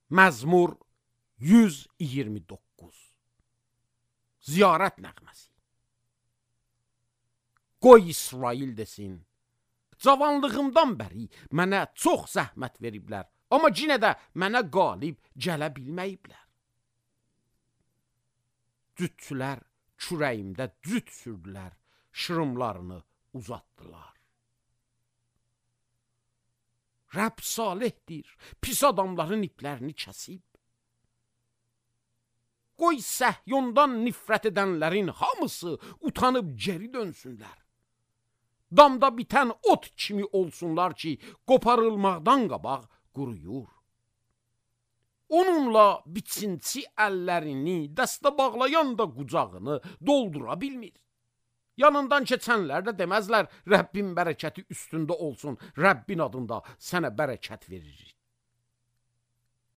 Məzmur 129. Ziyarət nəğməsi. Qoy İsrail desin, cavanlığımdan bəri mənə çox zəhmət veriblər, amma yenə də mənə qalib gələ bilməyiblər. Cütçülər kürəyimdə cüt sürdülər, şırımlarını uzatdılar. Rəbb salihdir, pis adamların iplərini kəsib. Qoy Səhyondan nifrət edənlərin hamısı utanıb geri dönsünlər. Damda bitən ot kimi olsunlar ki, qoparılmaqdan qabaq quruyur. Onunla biçinçi əllərini, dəstə bağlayan da qucağını doldura bilmir. Yanından keçənlər də deməzlər, Rəbbin bərəkəti üstündə olsun, Rəbbin adında sənə bərəkət veririk.